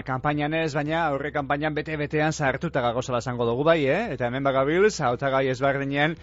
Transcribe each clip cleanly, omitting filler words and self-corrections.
kanpainan ez, baina aurre kanpainan bete-betean zahartuta gagozala esango dugu bai, eta hemen bagabilz, hautagai ezberdinen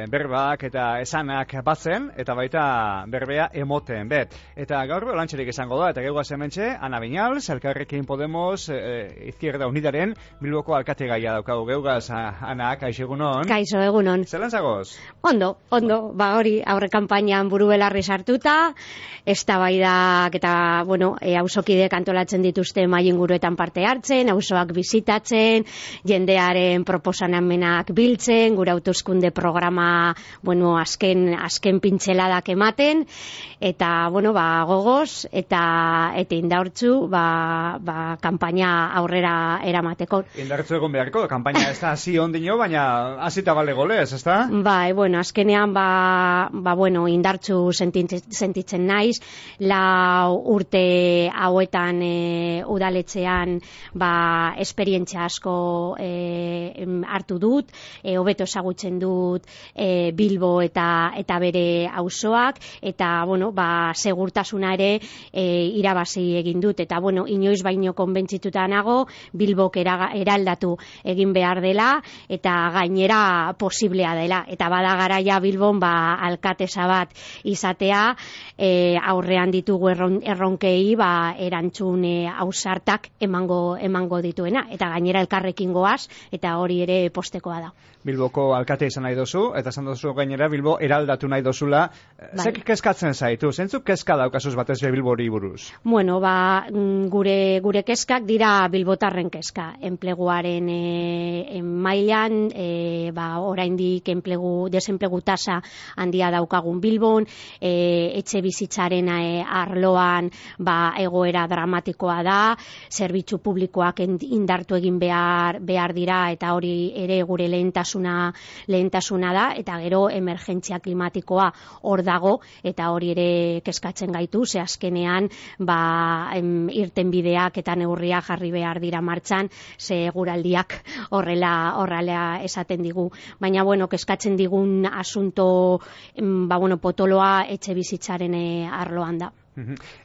berbak eta esanak batzen, eta baita berbea emoten, bet. Eta gaur lantxerik izango da, eta geugaz hementxe, Ana Viñals, Elkarrekin Podemos, Izquierda Unidaren, Bilboko alkate gaia daukagu geugaz, Ana, kaixo egunon. Kaixo egunon. Zelan zagoz? Ondo, ba hori, aurre kanpainan buru belarri sartuta, eztabaidak eta, bueno, auzokideek antolatzen dituzte mahai inguruetan parte hartzen, auzoak bizitatzen, jendearen proposamenak biltzen, gure hauteskunde programa, bueno, azken pintzeladak ematen, eta, bueno, ba, gogoz, eta indartzu, ba, kanpaina aurrera eramateko. Indartzu egon beharko, kanpaina ez da hasi ondino, baina hasita bale golez, ez da? Bai, bueno, azkenean, bueno, indartzu sentitzen naiz, lau urte hauetan udaletxean esperientzia asko hartu dut, hobeto ezagutzen dut Bilbo eta bere auzoak, eta bueno, segurtasuna ere irabazi egin dut, eta bueno, inoiz baino konbentzituta nago Bilbok eraldatu egin behar dela, eta gainera posiblea dela, eta bada garaia Bilbon alkatesa bat izatea, aurrean ditugu erronkei erantzun ausartak emango dituena, eta gainera elkarrekin goaz, eta hori ere postekoa da. Bilboko alkate izan nahi dozu, eta esan dozu gainera Bilbo eraldatu nahi dozula. Zek kezkatzen zaitu? Zentzuk kezka daukazuz batez Bilbori buruz? Bueno, gure kezkak dira bilbotarren kezka. Enpleguaren mailan, oraindik desenplegu tasa handia daukagun Bilbon, etxe bizitzaren arloan egoera dramatikoa da, zerbitzu publikoak indartu egin behar dira, eta hori ere gure lehentasuna da, eta gero emergentzia klimatikoa hor dago, eta hori ere kezkatzen gaitu, ze azkenean irtenbideak eta neurriak jarri behar dira martxan, ze eguraldiak horrela esaten digu. Baina, bueno, kezkatzen digun asunto, potoloa etxe bizitzaren arloan da.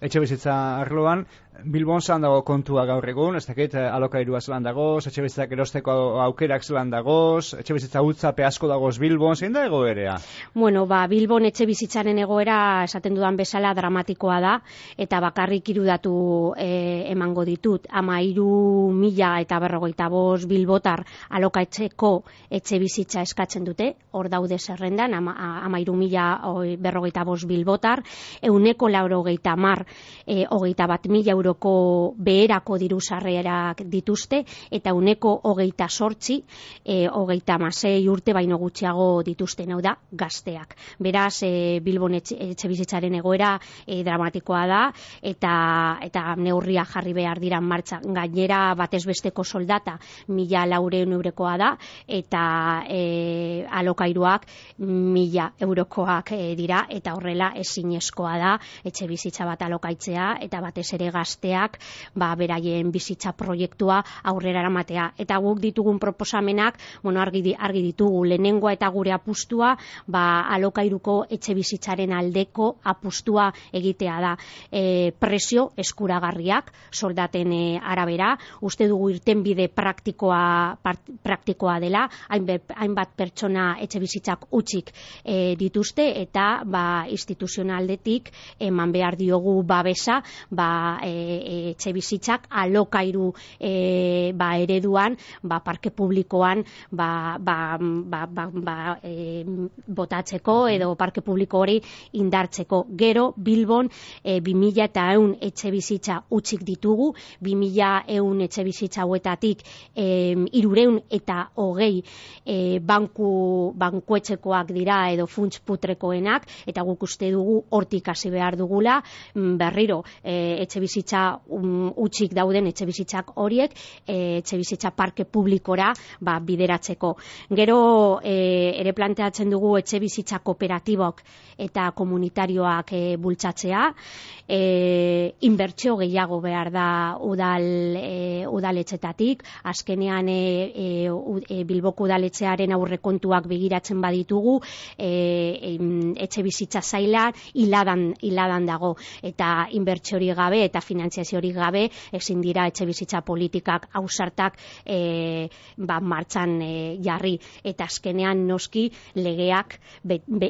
Etxe bizitza arloan, Bilbon zelan dago kontua gaur egun, ez dakit alokairua zelan dagoz, etxe bizitzak erosteko aukerak zelan dagoz, etxe bizitza utzape asko dagoz Bilbon, zein da egoerea? Bueno, Bilbon etxe bizitzaren egoera esaten dudan bezala dramatikoa da, eta bakarrik 3 datu emango ditut. 13.045 bilbotar alokatzeko etxe bizitza eskatzen dute, hor daude zerrendan, 13.045 bilbotar, 190 21.000 euroko beherako diru sarrerak dituzte, eta 128 36 urte baino gutxiago dituzten, hau da, gazteak. Beraz, Bilbon etxe bizitzaren egoera dramatikoa da, eta neurria jarri behar dira martxan. Gainera, batez besteko soldata 1.400 eurokoa da, eta alokairuak 1.000 eurokoak dira, eta horrela ezinezkoa da etxe bizitza bat alokaitzea, eta batez ere gazteak beraien bizitza proiektua aurrera eramatea. Eta guk ditugun proposamenak, argi ditugu, lehenengoa eta gure apustua alokairuko etxe bizitzaren aldeko apustua egitea da. Presio eskuragarriak soldaten arabera, uste dugu irtenbide praktikoa dela, hainbat pertsona etxe bizitzak utzik dituzte, eta instituzionaldetik eman behar diogu babesa etxe bizitzak alokairu ereduan, parke publikoan botatzeko edo parke publiko hori indartzeko. Gero Bilbon 2.100 etxe bizitza utzik ditugu, 2.100 etxe bizitza hauetatik 320 bankuetxekoak dira edo funts putrekoenak, eta guk uste dugu hortik hasi behar dugula, berriro etxe bizitza utzik dauden etxe bizitzak horiek etxe bizitza parke publikora bideratzeko. Gero ere planteatzen dugu etxe bizitza kooperatibok eta komunitarioak bultzatzea, inbertsio gehiago behar da udaletxetatik, azkenean Bilboko udaletxearen aurrekontuak begiratzen baditugu, etxe bizitza zailan hiladan dago, eta inbertsio hori gabe eta finantziaziorik gabe ezin dira etxebizitza politikak ausartak martxan jarri, eta azkenean noski legeak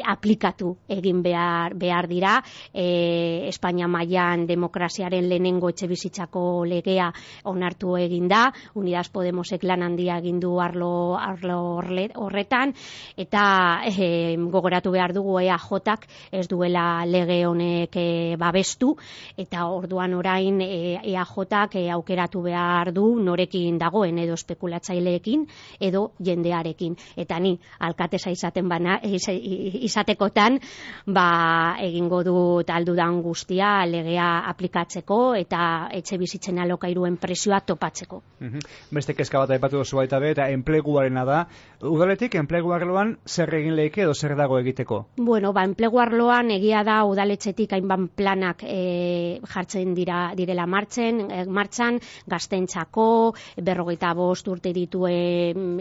aplikatu egin behar dira. Espainia mailan demokraziaren lehenengo etxebizitzako legea onartu egin da, Unidas Podemosek lan handia egin du arlo horretan, eta gogoratu behar dugu EAJak ez duela lege honek babestu, eta orduan orain EAJak aukeratu behar du norekin dagoen, edo espekulatzaileekin edo jendearekin, eta ni alkatesa izatekotan egingo dut aldudan guztia legea aplikatzeko eta etxe bizitzen alokairuen presioa topatzeko. Beste kezka bat aipatu duzu baita be, eta enpleguarena da. Udaletik enplegu arloan zer egin leike edo zer dago egiteko? Bueno, enplegu arloan egia da udaletxetik hainbat planak jartzen direla martxan, gaztentzako, 45 urte dituen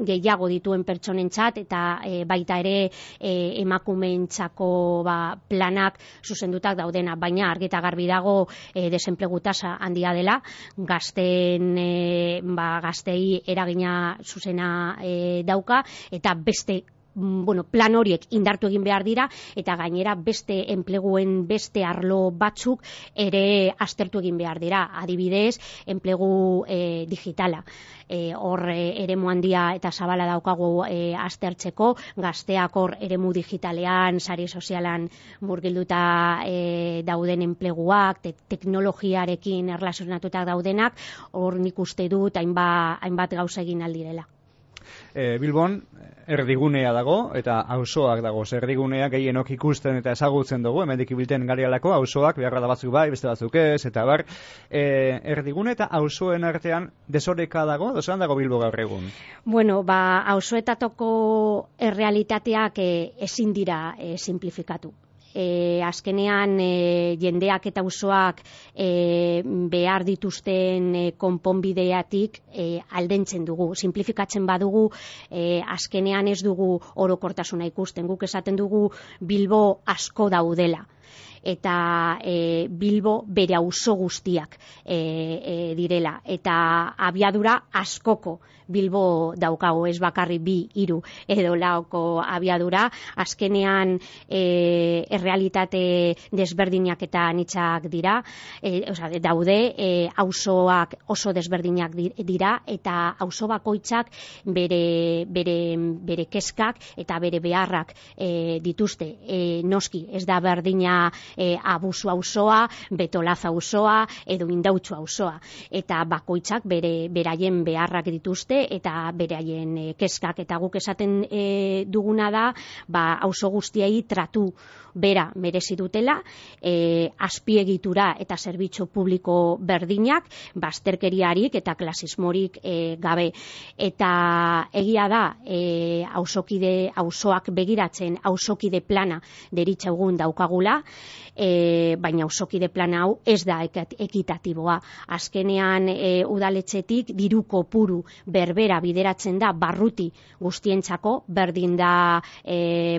gehiago dituen pertsonentzat, eta baita ere emakumeentzako planak zuzendutak daudena, baina argi eta garbi dago desenplegu tasa handia dela, gaztei eragina zuzena dauka, eta beste plan horiek indartu egin behar dira, eta gainera beste enpleguen beste arlo batzuk ere aztertu egin behar dira, adibidez enplegu digitala. Hor eremu handia eta zabala daukagu aztertzeko, gazteak hor eremu digitalean, sare sozialan murgilduta dauden enpleguak, teknologiarekin erlazionatutak daudenak, hor nik uste dut hainbat gauza egin aldirela. Bilbon erdigunea dago eta auzoak dago. Erdigunea gehienok ikusten eta ezagutzen dugu, hemendik ibilten garialako, auzoak beharra da batzuk bai, beste batzuk ez, eta bar. Erdigune eta auzoen artean desoreka dago, zelan dago Bilbo gaur egun? Bueno, auzoetatoko errealitateak ezin dira simplifikatu. Azkenean jendeak eta auzoak behar dituzten konponbideatik aldentzen dugu. Simplifikatzen badugu, azkenean ez dugu orokortasuna ikusten. Guk esaten dugu Bilbo asko daudela, eta Bilbo bere auzo guztiak direla, eta abiadura askoko Bilbo daukago, ez bakarri 2, 3 edo 4 abiadura. Azkenean errealitate desberdinak eta anitzak dira, daude, auzoak oso desberdinak dira, eta auzo bakoitzak bere kezkak eta bere beharrak dituzte. Noski, ez da berdina Abusu auzoa, Betolaza auzoa edo Indautxu auzoa, eta bakoitzak beraien beharrak dituzte eta beraien kezkak, eta guk esaten duguna da auzo guztiei tratu bera merezi dutela, azpiegitura eta zerbitzu publiko berdinak, bazterkeriarik eta klasismorik gabe. Eta egia da, auzoak begiratzen auzokide plana deritzagun daukagula, baina auzokide plana hau ez da ekitatiboa. Azkenean udaletxetik diru kopuru berbera bideratzen da barruti guztientzako, berdin da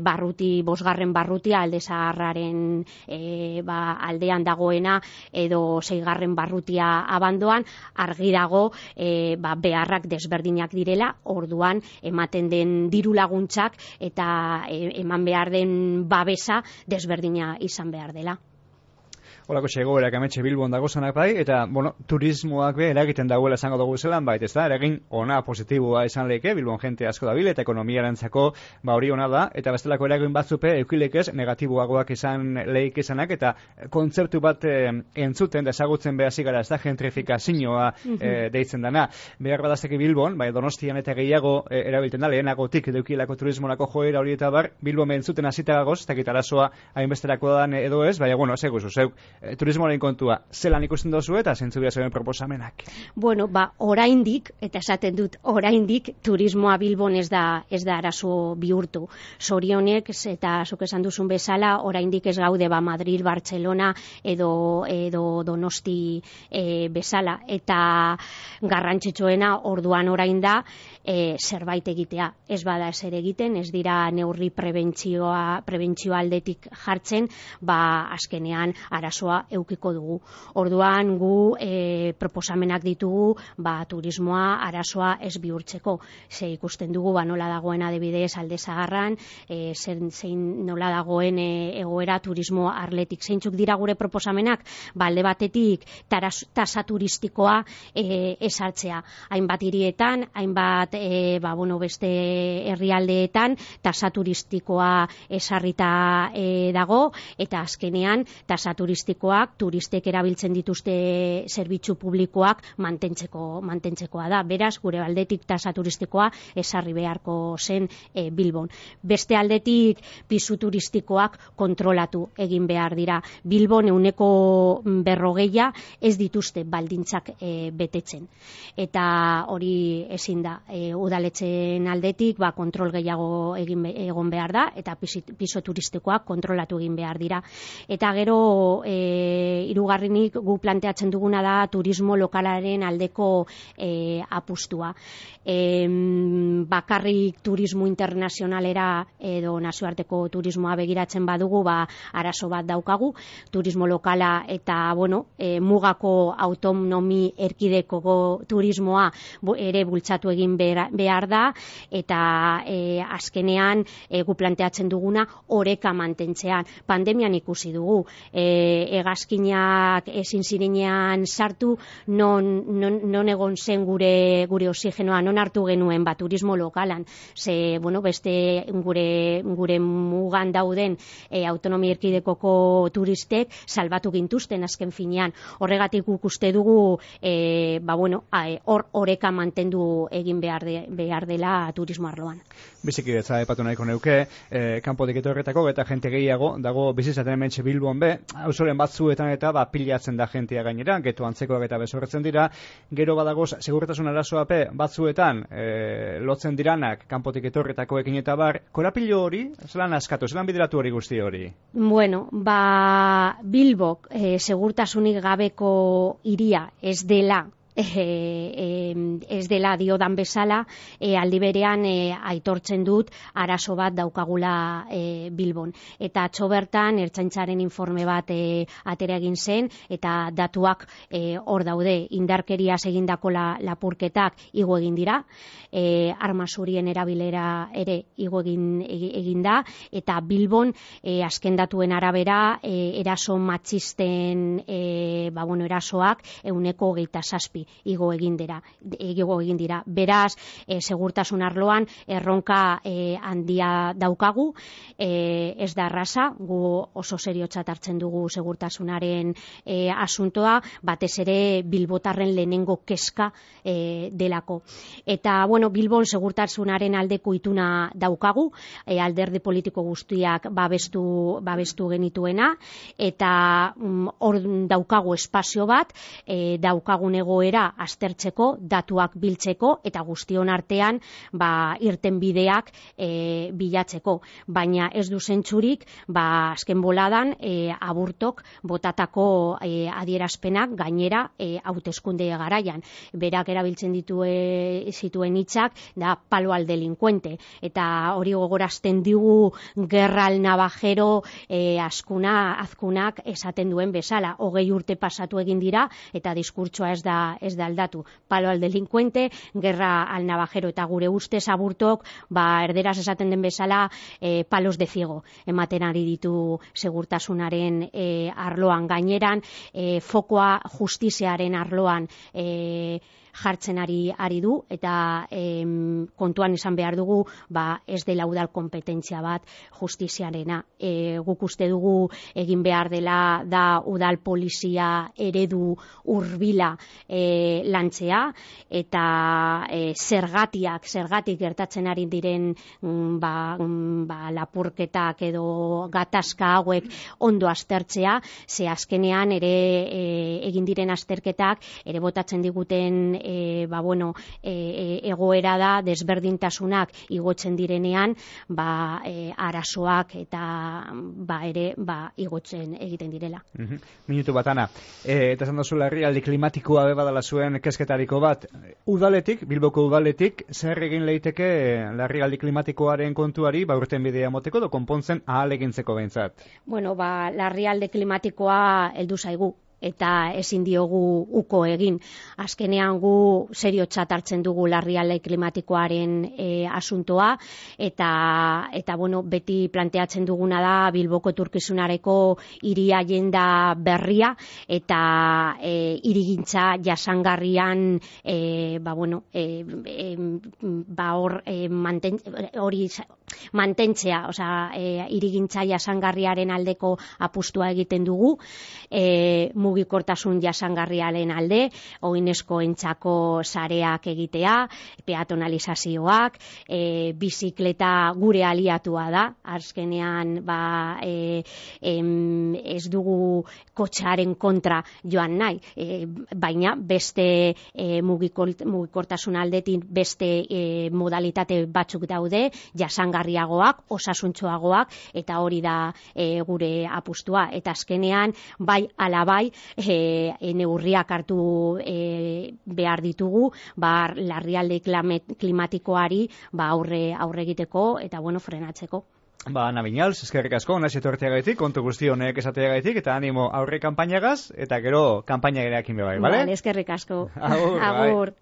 barruti, 5. barrutia alde zaharraren aldean dagoena edo 6. barrutia abandoan, argi dago beharrak desberdinak direla, orduan ematen den diru laguntzak eta eman behar den babesa desberdina izan behar dela. Holako egoerak ametxe Bilbon dagozanak bai, eta, turismoak be eragiten dagoela esango dugu zelan bait, ez da, eragin ona positiboa izan leke, Bilbon jente asko dabil, eta ekonomiarentzako hori ona da, eta bestelako eragin batzupe eukilekez negatiboagoak izan leik izanak, eta kontzeptu bat entzuten, desagutzen behasi gara, ez da, gentrifikazioa deitzen dana. Behar badazteki Bilbon, Donostian eta gehiago erabiltzen da, lehenagotik eukilako turismonako joera hori eta bar, Bilbon entzuten hasita gagoz, eta kitarazoa hainbesterako dan edo ez, zeuk, turismoaren kontua, zelan ikusten dozu eta zentzu bia zeuen proposamenak? Bueno, oraindik, eta esaten dut oraindik, turismoa Bilbon ez da arazo bihurtu. Zorionek, eta zuk esan duzun bezala, oraindik ez gaude Madrid, Barcelona edo Donosti bezala. Eta garrantzitsuena orduan orain da, zerbait egitea. Ez bada ezer egiten, ez dira neurri prebentzio aldetik jartzen, azkenean arazoa eukiko dugu. Orduan gu proposamenak ditugu turismoa arazoa ez bihurtzeko. Ze ikusten dugu nola dagoen adibidez Alde Zaharran, zein nola dagoen egoera turismo arletik. Zeintzuk dira gure proposamenak? Alde batetik tasa turistikoa ezartzea. Hainbat hirietan, hainbat beste herrialdeetan tasa turistikoa ezarrita dago, eta azkenean tasa turistikoak turistek erabiltzen dituzte zerbitzu publikoak mantentzekoa da. Beraz, gure aldetik tasa turistikoa ezarri beharko zen Bilbon. Beste aldetik pisu turistikoak kontrolatu egin behar dira. Bilbon 40% ez dituzte baldintzak betetzen. Eta hori ezin da. Udaletxeen aldetik kontrol gehiago egon behar da, eta piso turistikoak kontrolatu egin behar dira. Eta gero, hirugarrenik gu planteatzen duguna da turismo lokalaren aldeko apustua. Bakarrik turismo internazionalera edo nazioarteko turismoa begiratzen badugu, arazo bat daukagu. Turismo lokala eta, mugako autonomi erkidegoko turismoa ere bultzatu egin behar da, eta azkenean gu planteatzen duguna oreka mantentzean. Pandemian ikusi dugu, hegazkinak ezin zirenean sartu, non egon zen gure oxigenoa, non hartu genuen turismo lokalan. Ze, beste gure mugan dauden autonomia erkidegoko turistek salbatu gintuzten azken finean. Horregatik uste dugu oreka mantendu egin behar dela turismo arloan. Bizikidetza epatu nahiko neuke, kanpotik etorretako eta jente gehiago dago bizizaten hementxe Bilbon auzoren batzuetan eta pilatzen da jentea gainera, geto antzekoak eta bezorretzen dira, gero badagoz segurtasun arazoa batzuetan lotzen diranak kanpotik etorretakoekin eta korapilo hori, zelan askatu, zelan bideratu hori guzti hori? Bilbok segurtasunik gabeko hiria ez dela diodan bezala, aldi berean aitortzen dut arazo bat daukagula Bilbon. Eta atzo bertan Ertzaintzaren informe bat atera egin zen, eta datuak hor daude. Indarkeriaz egindako lapurketak igo egin dira, arma zurien erabilera ere igo egin da, eta Bilbon azken datuen arabera eraso matxisten erasoak 27% igo egin dira. Beraz, segurtasun arloan erronka handia daukagu, ez da erraza, gu oso seriotzat hartzen dugu segurtasunaren asuntoa, batez ere bilbotarren lehenengo kezka delako. Eta, Bilbon segurtasunaren aldeko ituna daukagu, alderdi politiko guztiak babestu genituena, eta hor daukagu espazio bat, daukagun egoera aztertzeko, datuak biltzeko, eta guztion artean irtenbideak bilatzeko. Baina ez du zentzurik, azken boladan Aburtok botatako adierazpenak gainera hauteskunde garaian. Berak erabiltzen zituen hitzak da palo al delincuente, eta hori gogorazten digu gerra al navajero azkunak esaten duen bezala. 20 urte pasatu egin dira, eta diskurtsoa ez da aldatu. Palo al delincuente, gerra al navajero, eta gure ustez Aburtok erderaz esaten den bezala palos de ciego ematen ari ditu segurtasunaren arloan. Gaineran fokoa justiziaren arloan jartzen ari du, eta kontuan izan behar dugu ez dela udal kompetentzia bat justiziarena. Guk uste dugu egin behar dela da udal polizia eredu hurbila lantzea, eta zergatik gertatzen ari diren lapurketak edo gatazka hauek ondo aztertzea, ze azkenean ere egin diren azterketak ere botatzen diguten egoera da desberdintasunak igotzen direnean, arazoak eta ere igotzen egiten direla. Minutu bat, Ana. Eta esan duzu larrialdi klimatikoa badala zuen kesketariko bat. Bilboko udaletik, zer egin leiteke larrialdi klimatikoaren kontuari, urten bidea moteko, do konpontzen ahalegintzeko behintzat? Larrialdi klimatikoa heldu zaigu, eta ezin diogu uko egin. Azkenean gu seriotzat hartzen dugu larrialdi klimatikoaren asuntoa, eta beti planteatzen duguna da Bilboko etorkizunareko hiri agenda berria, eta hirigintza jasangarrian mantentzea, hirigintza jasangarriaren aldeko apustua egiten dugu, mugikortasun jasangarriaren alde, oinezkoentzako sareak egitea, peatonalizazioak, bizikleta gure aliatua da, azkenean ez dugu kotxearen kontra joan nahi, baina beste mugikortasun aldetik beste modalitate batzuk daude, jasangarriagoak, osasuntxoagoak, eta hori da gure apustua, eta azkenean bai alabai neurriak hartu behar ditugu, larrialdi klimatikoari aurre egiteko eta frenatzeko. Ana Viñals, eskerrik asko, nahi etorteagaitik, kontu guzti honek esateagaitik, eta animo aurre kanpainagaz, eta gero kanpaina gereakin bebai, bale? Eskerrik asko. Agur.